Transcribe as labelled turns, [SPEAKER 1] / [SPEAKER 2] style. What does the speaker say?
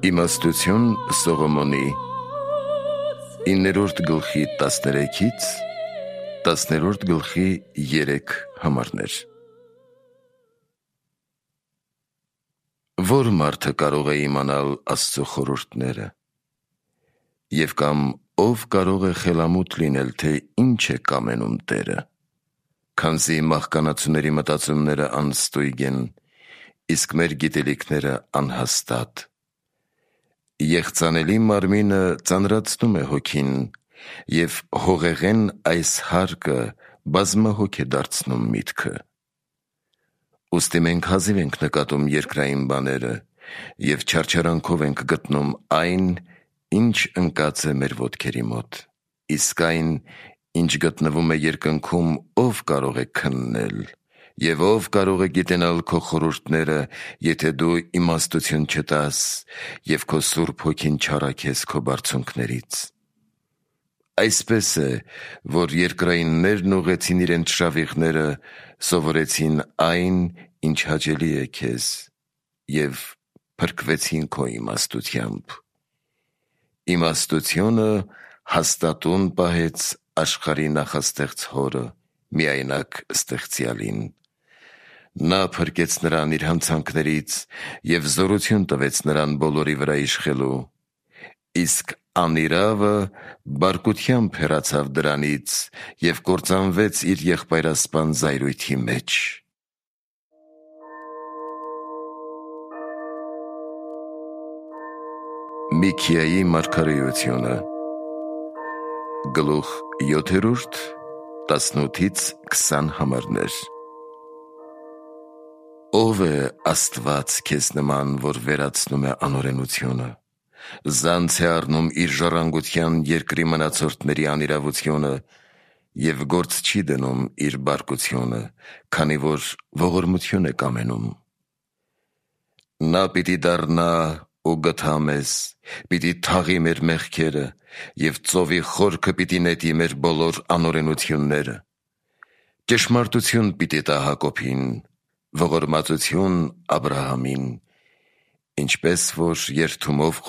[SPEAKER 1] Իմաստություն Սողոմոնի 9-րդ գլխի 13-ից 10-րդ գլխի 3 համարներ։ Որ մարդը կարող է իմանալ Աստծո խորհուրդները, և կամ ով կարող է խելամուտ լինել, թե ինչ է կամենում Տերը, քանզի մահկանացուների մտածումները անստույգ են, իսկ մեր գիտելիքները անհաստատ։ Եղծանելի մարմինը ծանրացնում է հոգին, և հողեղեն այս հարկը բազմահոգ է դարձնում միտքը։ Ուստի մենք հազիվ ենք նկատում երկրային բաները, և չարչարանքով ենք գտնում այն, ինչ ընկած է մեր ոտքերի մոտ, իսկ այն, ինչ գտնվում է երկնքում, ով կարող է քննել, և ով կարող է գիտենալ քո խորհուրդները, եթե դու իմաստություն չտաս և քո Սուրբ Հոգին չառաքես քո բարձունքներից։ Այսպես է, որ երկրայիններն ուղղեցին իրենց շավիղները, սովորեցին այն, ինչ հաճելի է քեզ, և փրկվեցին քո իմաստությամբ։ Իմաստությունը հաստատուն պահեց աշխարհի նախաստեղծ Հորը, միայնակ Ստեղծյալին։ Նա փրկեց նրան իր հանցանքներից և զորություն տվեց նրան բոլորի վրա իշխելու, իսկ անիրավը բարկությամբ հեռացավ դրանից և կործանվեց իր եղբայրասպան զայրույթի մեջ։ Միքիայի մարգարեությունը գլուխ 7, 18-ից 20 համարներ։ Ո՞վ է Աստված քեզ նման, որ վերացնում է անօրենությունը, զանց է առնում իր ժառանգության երկրի մնացորդների անիրավությունը և գործ չի դնում իր բարկությունը, քանի որ ողորմություն է կամենում։ Նա պիտի դառնա ու գթա մեզ, պիտի թաղի մեր մեղքերը և ծովի խորքը պիտի նետի մեր բոլոր անօրենությունները։ Ճշմարտություն պիտի տա Հակոբին, ողորմածություն Աբրահամին, ինչպես որ երդումով